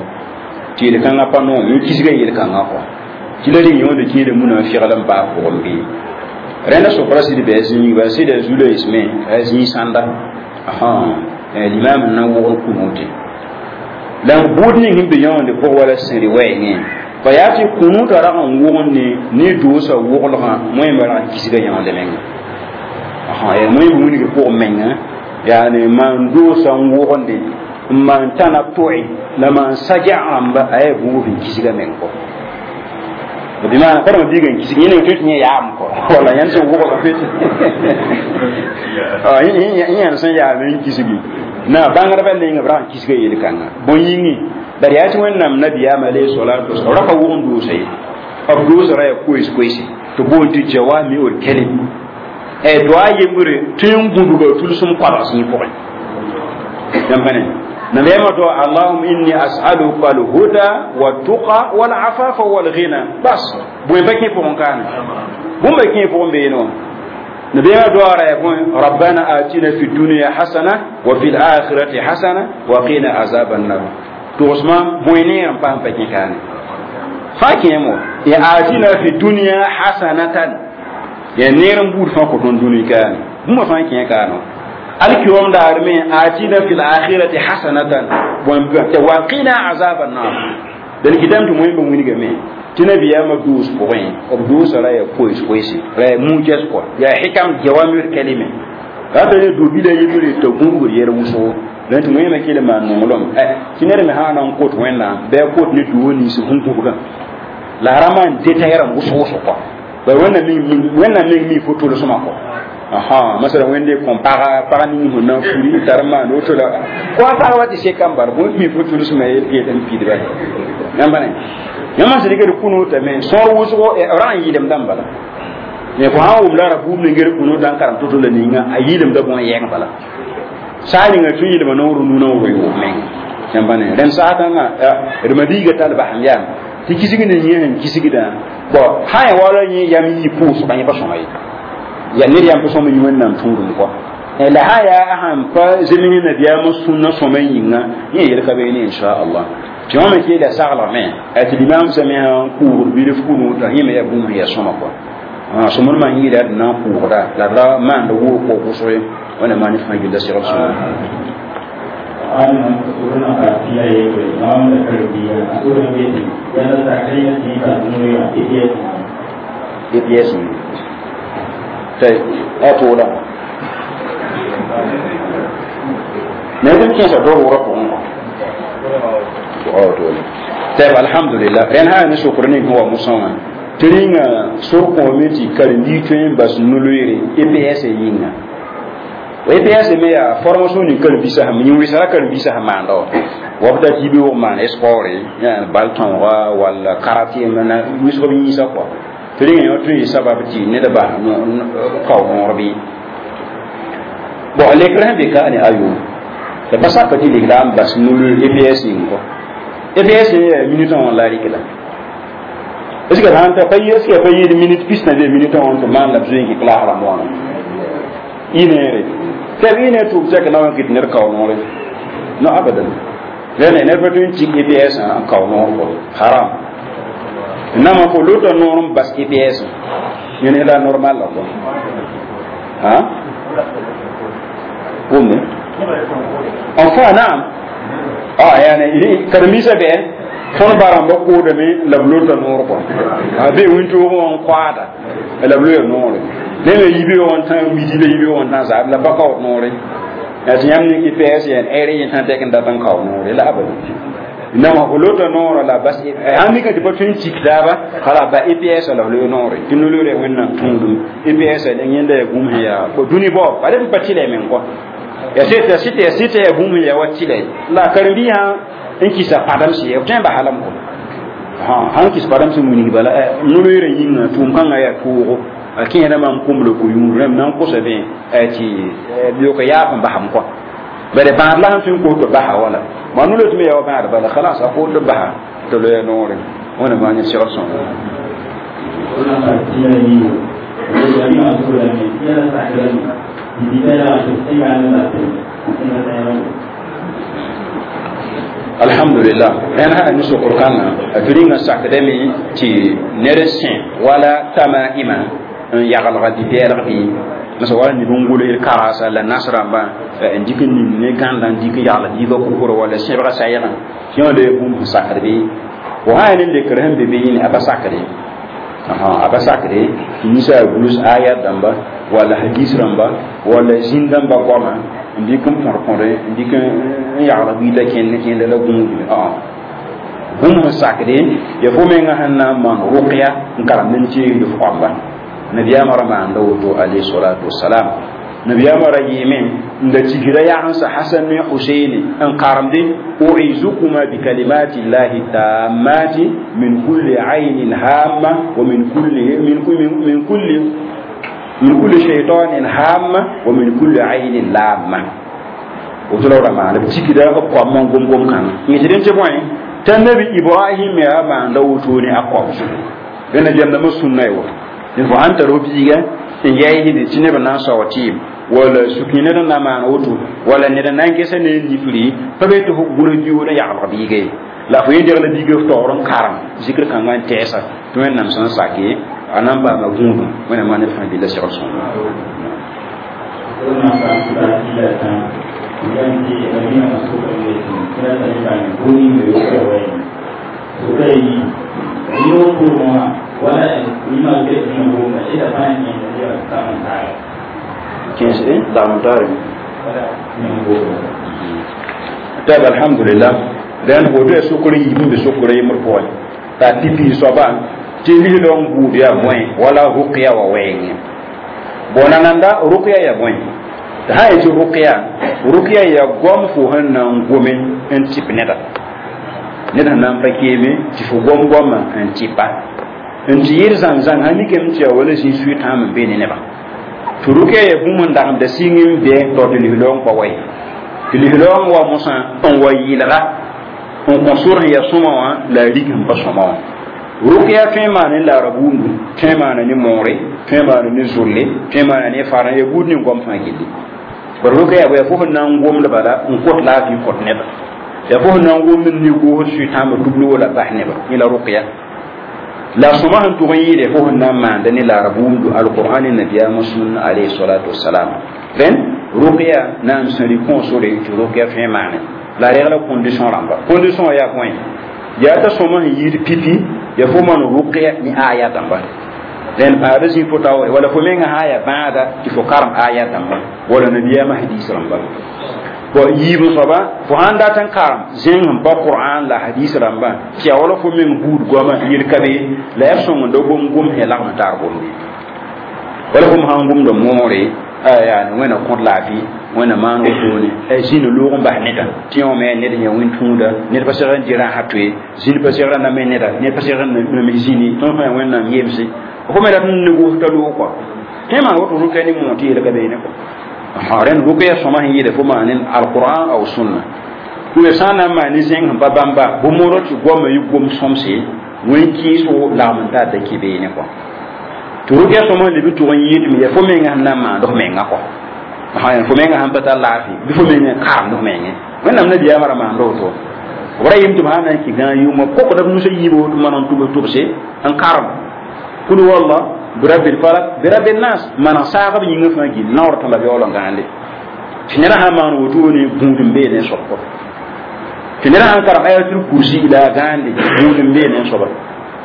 tɩ yel-kãngã pa noom yẽ kisga yel-kãngã kɔ tɩ la rɩ yõode kẽeda munã fegl n baa pʋgẽ bɩ rẽnda sokra sɩd bɩ a zĩig ba sɩda zu-loeesme a zĩig sãnda limam n na n wʋgd kũnuute la buud ning sẽn be yõonde pʋg wala sẽri wɛɛngẽ pa yaa tɩ kũnuutã rag n wʋgend ne ne doosã woglgã wẽmba rag n kisga yõonde menga yaa wẽmb wilgr pʋgẽ menga yaani maan doosã n wʋgende n maan tãna to'e la maan saja rãmba a yaa buub n kisga meng kɔ bimana karma biiga n kisg yẽ tɩ yẽ yaam kɔ wala yãnd sẽn wʋgl yãnd sẽn yaam n kisgi na bãngdbã nengã b rag n kisga yel-kãnga bõe yĩngi bari yaa tɩ wẽnnaam nabiyaam alayhi salatu wasalam ra pa wʋgn doosa ye b doosa ra yaa koees koeese tɩ boond tɩ jawamiul kalim doa yembre tɩ n gũdga tʋlsem koabg zĩig pʋgẽ yãmb pa ne nabiyaamã to allahuma inni as'aluka alhuda waltuqa walafafa walghina bas bõe pa kẽ pʋgẽ kaane bũmba kẽ pʋgẽ beene wã nabiyaamã doa ra yaa bõe rabbana atina fi dunya hasana wa fi lakhirati hasana wa qina azaba annar togsmã bõe neer n paam pa kẽ kaane fãa kẽemo ya atina fi dunya hasanatan ya neer n buud fãa kõ tõnd dũni kaane bũmba fãa kẽ kaane alkiyom daar me atina fil akhirati hasanatan wa qina azab an-nar dan kidam to moy ba winga me tɩ nabiyaamã doos pʋgẽ b doosã ra yaa koees koeese ra yaa mujas kɔ yaa hikam jawamir kalime rata ne do-bila yembre t'a gũbgr yɛl wʋsgo la tɩ wẽema kell maan nonglem tɩ ned me sã na n kot wẽnnaam bɩ a kot ne duo nins sẽn gũbgã la a ra maan détail rãmb wʋsg wʋsg kɔ bala wẽnnaam meng mi fo tolsmã kɔ aha masala wẽnde kõn paga pag ning sẽn na n furi tar maan woto la ko a pag wa tɩ seka n bar bõe mi fo tolsmã yel n pidba yãmba ne yãmb sẽn dɩkd kũnuutame sõor wʋsgo ra n yɩlemdã n bala mais fo sã n wʋm la ra buub ning kũnuutã n karem to-to la ninga a yɩlemda bõe yɛng bala saa ninga tɩ yɩlma noor nuna n roe wʋm meng yãmba ne rẽnd saag kãngã d mabiiga tall basem yaam tɩ kisg ne yẽ sẽn kisgdã bɔn sã ya wala yẽ yam yɩ pʋʋsgã yẽ pa sõma ye ya ned yam pa sõma yĩ wẽnnaam tũudum kɔ la sã yaa sãn pa zems nabiyaamã sũnã sõma yĩnga yẽ yel ka beene inchallah tɩ wã me keela saglgame tɩ limam sã me sã n kʋʋgd bilf kũnuutã yẽ me yaa bũmb sẽn yaa sõma kɔ sõmd maan yɩɩla d na n kʋʋgda la d ra maanda woog kɔ wʋsg ye wẽnnaam maan fãa gilda segl sõma Ana sura ka pia yebre mam da karbiya sura beti yana ta kai ya ti ba nuri a E P S. E P S tɩ a tooda ne tɩ kẽesa dor wʋrã pʋgẽ kɔ toole tɛb alhamdulillah rẽnd sã ne sokr ning sẽn wa mosã wã tɩ rĩnga sor kõome tɩ karen-biig tõe n bas no-loeere E P S yĩnga E P S me yaa formation ning karen-biisã sẽn yĩn wɩsra karen-biisã sẽn maanda wã wa b dat yibe wʋg maan sport bal tõoga walla karate wɩsg b yĩnsã kɔa tɩ rĩnga yõ tõe n sabab tɩ ned bas kao noor bɩ bon lekr sẽn be ka ne ayo la pa saka tɩ lik la n bas no-loeer E P S yĩng kɔ E P S yaa minute wã la rɩk la est ce que sãn ta pa est ce que pa yɩɩd minute pis na be minute wã tɩ maan la b zoe n kɩ classe rãmb wãna ineere tɩ b ine tʋʋm tɛk na wa kɩt ned kao noore no abadan rẽne ned pa tõe n tik E P S n kao noor kɔ haram nama fo lota noor n bas E P S yẽne la normal la kɔ ha wʋmde enfin naam ah yani karen-biisã bɩ tõnd ba rãmbã koodame la b lota noor kɔ a be wĩntoogẽ wã n koaada la b loya noore ne me yibe on tan midi le yibe on tan zaab la pa kaood noore ya tɩ yãmb ning I P S yɛn ɛɛr yẽ sã tɛk n dat n kao noore la abada nama fo lota noorã la bas sãn mika tɩ pa tõe n tik taaba kala ba I P S la f loe noore tɩ no-loeera wẽnnaam tũudum I P S yẽnda yaa bũmb sẽn yaa dũni bao pa d pa tɩlɛ meng kɔ ya sɩta sɩta ya sɩta yaa bũmb sẽn yaa wa tɩlɛ la karen-biisã n kɩsa pãdem-sɩ b tõe n ba halem kɔ sãn kɩs pãdem sẽn wilg bala no-loeerã yĩnga tʋʋm kãngã yaa toogo a kẽeda maam komla ko-yũud rãmb na n kosa bẽ tɩ yoka yaab n basam kɔ bare bãad la sẽn tõe n kos tɩ basa wala ma no tɩ me yaa wa bãad bala khalas a kos tɩ basa tɩ loya noore wẽna maan yẽ segd sõngo. Wẽnnaam tɩ la yiibu la mi wã sʋgrame yɛla sakrame bibita yaa tɩ sẽnga ne la sẽnga tẽebã. Alhamdulillah, rẽnd sã ne sokr kãngã a tɩ rĩngã sakdame tɩ ned sẽ wala tamaima n yagelga bɩ-pɛɛlg bɩ masa wala neb n gʋls karasa la nas rãmbã n dɩk n ning ne gãnda n dɩk n yagl biigã kʋsra wala sẽbga sayegã tɩ yã le bũmb sẽn sakd bɩ fo sã yaa ne lekr sẽn be be yĩne a pa sakde a pa sakde tɩ ninsaal gʋls ayat dãmba wala hadis rãmba wala zĩn dãmba goama n dɩk n põd-põde n dɩk n yagl biida kẽnd kẽnda la gũudme bũmb sẽn sakde ya fo menga sẽn na n maan rʋkya n karemd n teegd f goamba nabiyaamã ra maanda woto alayhi salatu wasalam. Nabiyaamã ra yɩɩme n da tigra yagensa Hasan ne Huseini n karemde uizukuma bikalimati llahi tammati min kulli aynin hamma wa min kulli min min kulli min kulli shaytanin hamma wa min kulli aynin lamma. Woto la ra maanda b tikda b koamã n gom gom kãngã yẽ tɩ dẽn tɩ bõe t'a nabi Ibrahim yaa maanda woto ne a koam zugu rẽ nabiyaam dãmbã sũnna y woto dẽn fo sãn tar f biiga n yɛɛsde tɩ neb na n sao tɩɩm wala sukĩ ned n na maan woto wala ned n na n gesa ne n nifri pa be tɩ f gʋls biuud n yaglg biiga ye la fo yẽ degla biiga f taoor n karem zikr kãngã n tɛɛsa tɩ wẽnnaam sẽn sake a na n paama gũudum wẽnnaam maa ned fãa billa segl sõngo. Wẽnnaam paam tɩ tɩ la tã yãmb tɩ nabiyaamã sʋkame tɩ ra tara bãng bũmb ning yoka wɛɛme sʋka yi yõ pʋgẽ wã wala yĩma ket sẽn gomda ɩda fãa yẽnda ya tãm n taara. Kẽes lagm taare. Wala yẽm gomda. Tab alhamdulillah, rẽnd woto yaa sokr n yiib n be sokr yembr pʋgẽ t'a pipi soaba tɩ lislong buud yaa bõe wala rʋkya wa wɛɛngẽ bon nananda rʋkya yaa bõe tɩ sã yetɩ rʋkya rʋkya yaa goam fo sẽn na n gome n tɩp neda ned sẽn na n pa keeme tɩ fo gom goamã n tɩpa n tɩ yɩɩd zãng-zãng sã mikame tɩ yaa wala zĩ sʋɩ-tãam n be ne nebã tɩ rʋkya yaa bũmb n dagemda sɩng n bɛ tao tɩ lislaoong pa wa ye tɩ lislaoong wa mosã n wa yɩlga n kõ sor sẽn yaa sõma wã la a rig sẽn pa sõma wã. Rʋkya tõe n maan ne laara buundu, tõe n maana ne moore, tõe n maana ne zolle, tõe n maana ne farã ya buud ning goam fãa gilli bara rʋkya yaa yaa fo sẽn na n gomd bala n kot laafɩ kõt neba yaa fo sẽn na n gomd n nig-goosd sʋɩ-tãambã tubl wala bas neba yẽ la rʋkya la sõma sẽn tʋg n yɩɩde fo sẽn na n maanda ne laara buundu alqur'an ne nabiyaamã sũnna alayhi salatu wasalam. Rẽnd rʋkya na n sẽn rɩ kõosore tɩ rʋkya tõe n maane la regla condition rãmba condition yaa bõe yaa t'a sõma sẽn yɩɩd pipi ya fo maan rʋkya ne aya dãmba rẽnd paada zĩ fo taoore wala fo menga sã yaa bãada tɩ fo karem aya dãmba wala nabiyaamã hadis rãmba bon yiib soaba fo sãn dat n karem zẽng sẽn pa qur'an la hadis rãmbã tɩ yaa wala fo meng buud goama yel ka be la yaa sõng da gom gom sẽn lagm tar gomde wala fo sãn gomda moore yaa wẽna kõt laafɩ wẽna maan wotone zĩnd loog n bas neda tɩ yõ me ned yã wẽn tũuda ned pa segd n dɩ rãsã toe zĩnd pa segd n name neda ned pa segd n name zĩni tõnd fãa wẽnnaam yemse fo me rat n ne gos t'a loog kɔa tõe maan woto rʋkɛ ne moor tɩ yel ka beene kɔ rẽnd rʋkɛ ya sõma sẽn yɩɩda fo maan ne alqur'an aw sunna tɩ sã n na n maan ne zẽng sẽn pa bãmba bʋ-moorã tɩ goamã yɩ gom sõmse wẽn kɩɩsgo lagm n tar da kɩ beene kɔ tɩ rʋkɛ sõma sẽn leb n tʋg n yɩɩdme yaa fo menga sẽn na n maand f menga kɔ fo menga sãn pa tar laafɩ bɩ fo meng n karemd f menge wẽnnaam nabiyaamã ra maanda woto b ra yɩm tɩ b sã n na n kɩ gãag yʋʋmã kokda b nusã yiibo tɩ maan n tʋbs tʋbse n karem kul walla birabbil falak birabbil nas maneg saag b yĩngã fãa gill naoor tã la yaool n gãande tɩ ned sã n maan wotone gũud n bee ne soab tɩ ned sãn karem ayatul kursi la a gãande gũud n bee ne soaba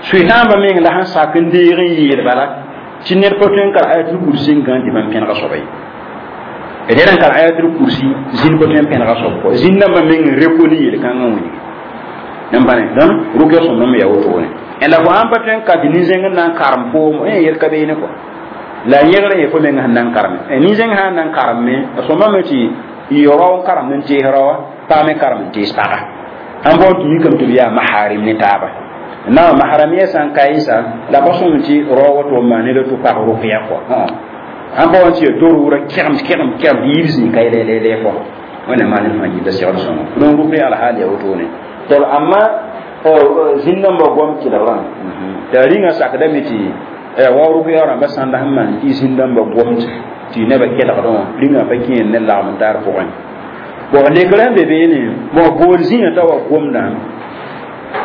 sʋɩ-tãambã meng la sẽn sak n deeg n yeel bala Tɩ ned pa tõe n kar ayatul kursi n gãn tɩ bãmb pẽnega soaba ye ned n kar ayatul kursi zĩnd pa tõe n pẽnega soab kɔ zĩnd dãmbã meng n rekoni yel-kãngã wilgi n bãne dõn rʋkya sõmblem yaa wotone la fo sãn pa tõe n ka tɩ nin-zẽng n na n karem foom yel ka beene kɔ la yẽgr n yee fo meng sẽn na n kareme nin-zẽng sã n na n karemme a sõmbame tɩ y rao n karemd n tees raoa pag me karem n tees paga sãn baoon tɩ mikame tɩ b yaa maharim ne taaba na maharamiya sã n ka yɩsa la pa sõm tɩ rao woto n maan ned tɩ pag rʋkya kɔ sãn baoon tɩ ya tor-wʋra kɛgem kɛgem kɛgem tɩ yib zĩig ka lɛ kɔ wẽnnaam maan ned fãa gilda segd sõngo donc rʋkya alhaal yaa wotone tol amma zĩnd-dãmbã goam kelgrã t'a rĩngã sakdame tɩ wa rʋkya rãmbã sãnda sẽn maan tɩ zĩnd-dãmbã gomd tɩ nebã kelgdẽ wã rĩngã pa kẽ ne lagm n taar pʋgẽ bon lekrã sẽn be beene bon bool zĩigã t'a wa gomdã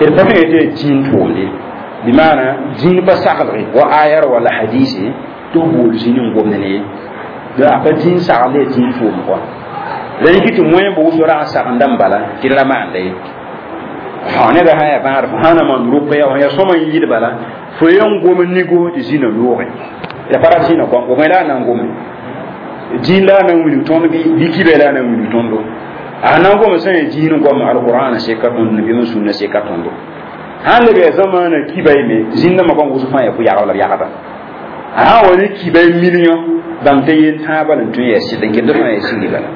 d pa tõe tɩ yaa dĩin tʋʋmde bɩ maana dĩin pa saglge wa ayar wala hadise tɩ f bool zĩn n gomd ne ye a pa dĩin sagl yaa dĩin tʋʋm kɔa la yiki tɩ moẽ bʋʋsg rag n sagenda n bala tɩ d ra maanda ye neda sã yaa bãad fo sã na maan rʋkya fo yaa sõma n yɩɩd bala fo yen gom nigo tɩ zĩnã loogẽ la pa rat zĩnã kɔm bõe la a na n gome dĩin la a na n wilg tõnd bɩ bɩ kibɛ la a na n wilg tõndo a na n gom sã yaa dĩin goam alqur'an seka tõnd nabiyaam sũnna seka tõndo sãn leb yaa zamaana kiba me zĩn-dãmbã goam wʋsg fãa yaa pʋ-yagb la b yagda a sã wa ne kiba million bãng t'a yen tãabã la n tõe n yaa sɩd n get fãa yaa sĩngi bala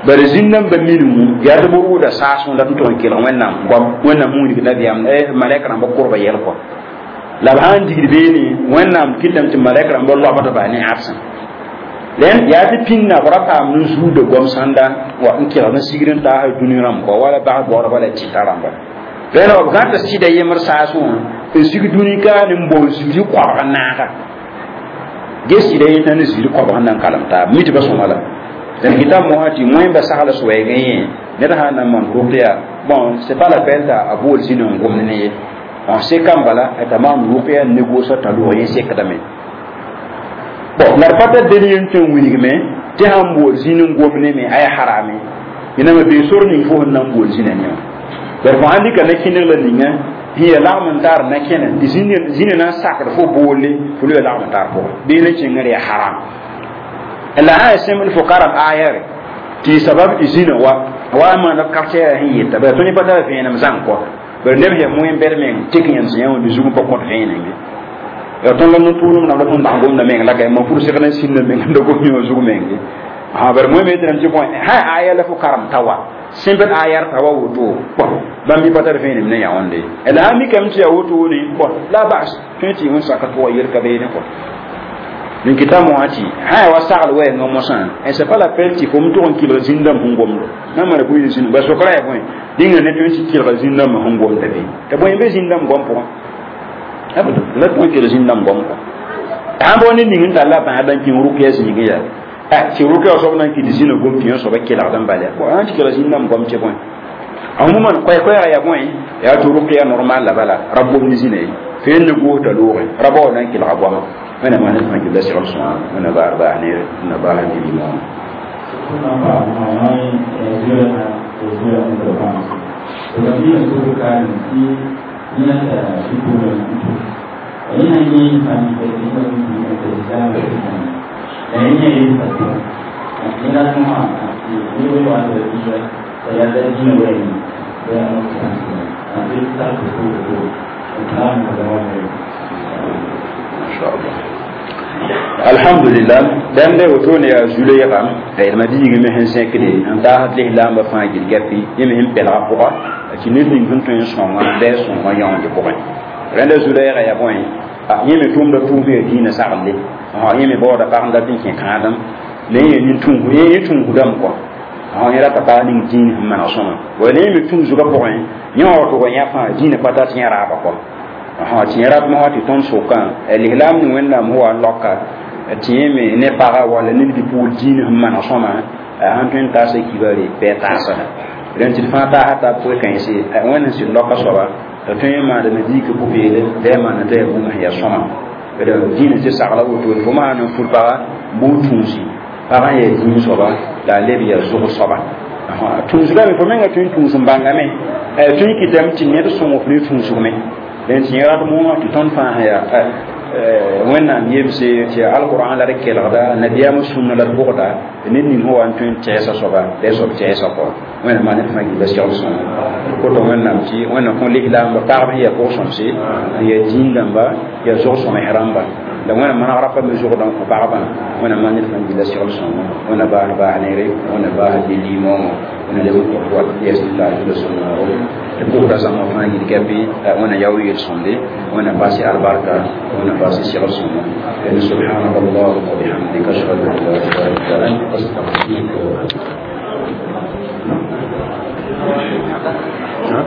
bari zĩn-dãmbã minimum yaa tɩ b rʋʋda saasẽ dat n tʋg n kelg wẽnnaam goam wẽnnaam sẽn wilg nabiyaam malɛk rãmbã korbã yɛl kɔ la b sãn digd beene wẽnnaam kɩtame tɩ malɛk rãmbã loabdba ne ãbsã rẽnd yaa tɩ pĩnda b ra paam n zuuda goam sãnda wa n kelgd n sigd n taasa dũni rãmb kɔ wala bas baoodba la tɩta rãmba rẽnd b gãta sɩda yembr saasẽ wã n sig dũni ka ne n bao zĩri koabg n naaga ge sɩda yetã ne zĩri koabg n na n kalem taab mi tɩ ba sõma la dẽn kɩta mosã tɩ wẽmba sagla soɛɛgẽ yẽ ned sã n na n maan rʋkya bon c'est pas la peine t'a bool zĩn n gomd ne ye n sekam bala t'a maan rʋkya n négosa t'a lʋg yẽ sekdame bon la d pa tar del yen tõe n wilgme tɩ sãn bool zĩn n gomd me a yaa harame yẽname bee sor ning fo sẽn na n bool zĩna ne wã bari fo sãn dɩka na-kẽneg la ninga sẽn yaa lagm n taar na-kẽne tɩ zĩnã na n sakd fo boolle fo loe lagm n taar pʋgẽ bee na kẽngr yaa haram la sã yaa sẽmbl fo karem ayare tɩ sabab tɩ zĩnã wa wa n maana quartier sẽn yeta bara tõnd pa tara vẽenem zãng kɔ bari neb sẽn moẽ bɛd meng tɩk yẽm sẽn yã wã tɩ zug n pa kõt vẽenem ye ya tõnd la no-tʋʋlem rãmb la tõnd dag gomda meng la ka ma pur segd n sĩnda meng n da gom yõ zug meng ha bari moẽ me tɩ tɩ bõe sã aya la fo karem ta wa sẽmbd ayar ta wa woto bon bãmb mi pa tar vẽenem ne yã wãnde la sã mikame tɩ yaa wotone bon la bas tõe tɩ wẽn saka tʋga yel ka beene kɔ n kɩta moã tɩ sã yaa wa sagl wɛɛngã mosã et c'est pas la peine tɩ fo m tʋg n kɩlg zĩn-dãmb sẽn gomdo na n mara bũi zĩnd ba sokra yaa bõe dĩnga ne tõe tɩ kɩlga zĩn-dãmbã sẽn gomda be t'a bõe n be zĩn-dãmb goam pʋgã la tõe n kɩlg zĩn-dãmb goam kɔ sãn bao ne ning n tall la bãadã n kẽng rʋkya zĩigẽ yaa tɩ rʋkya soab na n kɩt zĩnã gom tɩ yẽ soaba kelgd n bala bon sãn tɩ kelg zĩn-dãmb goam tɩ bõe a fo man koɛɛ-koɛɛga yaa bõe yaa tɩ rʋkya normal la bala ra gomd zĩna ye fo yen ne goos t'a loogẽ ra bao na n kelga goama wẽnnaam maan fãa gilda segl sõa wẽnna baar baas ne na baas ne rɩmoonã alhamdulillah dãmb da woto ne yaa zu-leegã la d ma diigame sẽn zẽkde n taasd lislaambã fãa gil gapi yẽ me sẽn pɛlga pʋga tɩ ned ning sẽn tõe n sõnga bɩ a sõnga yãoonde pʋgẽ rẽnda zu-leegã yaa bõe yẽ me tʋʋmda tʋʋm yaa dĩinã sagle yẽ me baooda pag n dat n kẽ kãadem la yẽ nin-tũus yẽ tũusdame kɔ yẽ rata paa ning dĩin sẽn maneg sõma wala yẽ me tũus zugã pʋgẽ yẽ wã wa tʋg yã fãa dĩinã pa tar tɩ yẽ raaba kɔ tɩ yẽ rat mosã tɩ tõnd sokã lislaam ning wẽnnaam sẽn wa n laoka tɩ yẽ me ne paga wala ned bɩ-pugl dĩin sẽn maneg sõma sãn tõe n taasa kibare bɩ a taasa rẽnd tɩ d fãa taasa tab pʋg-kãense wẽnd sẽn sɩd laoka soaba t'a tõe n maandame diikã pʋ-peelem bɩ a maana t'a yaa bũmb sẽn yaa sõma dĩinã tɩ sagla woto fo maan n fur paga bʋʋ tũusi pag n yaa dĩin soaba la a leb yaa zʋg soaba tũusgame fo menga tõe n tũus n bãngame tõe n kɩtame tɩ ned sõng f ne tũusgme dẽn tɩ yẽ rat moogã tɩ tõnd fãa sẽn yaa Wẽnnaam yemse tɩ alqurã la d kelgda, nabiyaamã sũnna la d bʋgda, ned ning sẽn wa n tõe n tɛɛsa soaba la soab tɛɛsa kɔ. Wẽnnaam maan ned fãa gilla segl sõngo koto. Wẽnnaam tɩ Wẽnnaam kõ lislaamba pagb sẽn yaa pʋg-sõmse, n yaa dĩin dãmba, yaa zog-sõms rãmba, la Wẽnnaam manegra pa me zogdã n kõ pagba. Wẽnnaam maan ned fãa gilla segl sõngo. Wẽnna baas baas neere, Wẽnna baas de-liimoongõ, Wẽnna leb n kõ wat yɛs n taal tɩ sõngo tɩ pʋgda zãma fãa yil gɛpɩ. Wẽnna yao yel-sõmde, Wẽnna baas albarka, Wẽnna baas segl sõngo. سبحانك اللهم وبحمدك، أشهد أن لا إله إلا أنت، أستغفرك. ها؟